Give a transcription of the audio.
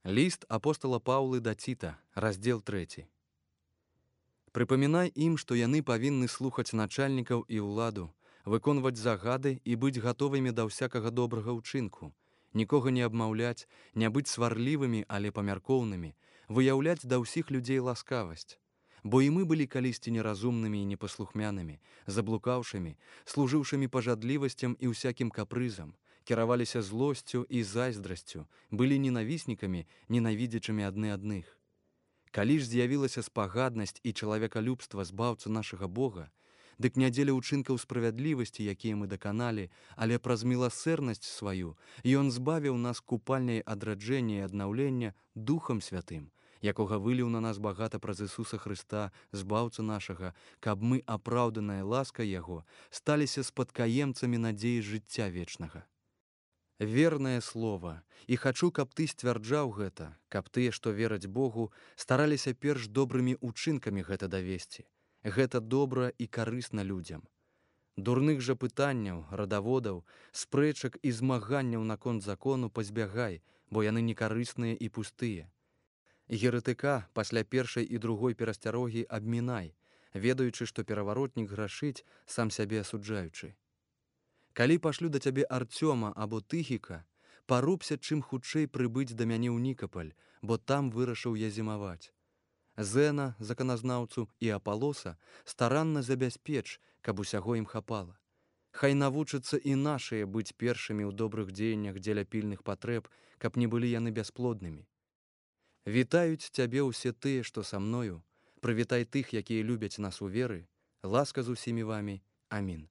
Ліст апостала Паўлы да Ціта, раздзел 3. Прыпамінай ім, што яны павінны слухаць начальнікаў і ўладу, выконваць загады і быць гатовымі да ўсякага добрага ўчынку, нікога не абмаўляць, не быць сварлівымі, але памяркоўнымі, выяўляць да ўсіх людзей ласкавасць. Бо і мы былі калісьці неразумнымі і непаслухмянымі, заблукаўшымі, служыўшымі пажадлівасцям і ўсякім капрызам, кіраваліся злосцю і зайздрасцю, былі ненавіснікамі, ненавідзячымі адны адных. Калі ж з'явілася спагаднасць і чалавекалюбства збаўцы нашага Бога, дык не дзеля ўчынкаў справядлівасці, якія мы даканалі, але праз міласэрнасць сваю, Ён збавіў нас купальняй адраджэння і аднаўлення Духам Святым, якога выліў на нас багата праз Ісуса Хрыста, збаўцы нашага, каб мы, апраўданая ласкай Яго, сталіся спадкаемцамі надзеі жыцця вечнага. Вернае слова, і хачу, каб ты сцвярджаў гэта, каб тыя, што вераць Богу, стараліся перш добрымі ўчынкамі гэта давесці. Гэта добра і карысна людзям. Дурных жа пытанняў, радаводаў, спрэчак і змаганняў наконт закону пазбягай, бо яны некарысныя і пустыя. Еретыка пасля першай і другой перасцярогі абмінай, ведаючы, што пераваротнік грашыць, сам сябе асуджаючы. Калі пашлю да цябе Артёма або Тыхіка, парубся чым хутчэй прыбыць да мяне ў Нікапаль, бо там вырашыў я зімаваць. Зэна, заканазнаўцу, і Апалоса старанна забяспеч, каб усяго ім хапала. Хай навучацца і нашыя быць першымі ў добрых дзеяннях дзеля пільных патрэб, каб не былі яны бясплоднымі. Вітаюць цябе ўсе тыя, што са мною, прывітай тых, якія любяць нас у веры, ласка з усімі вамі. Амін.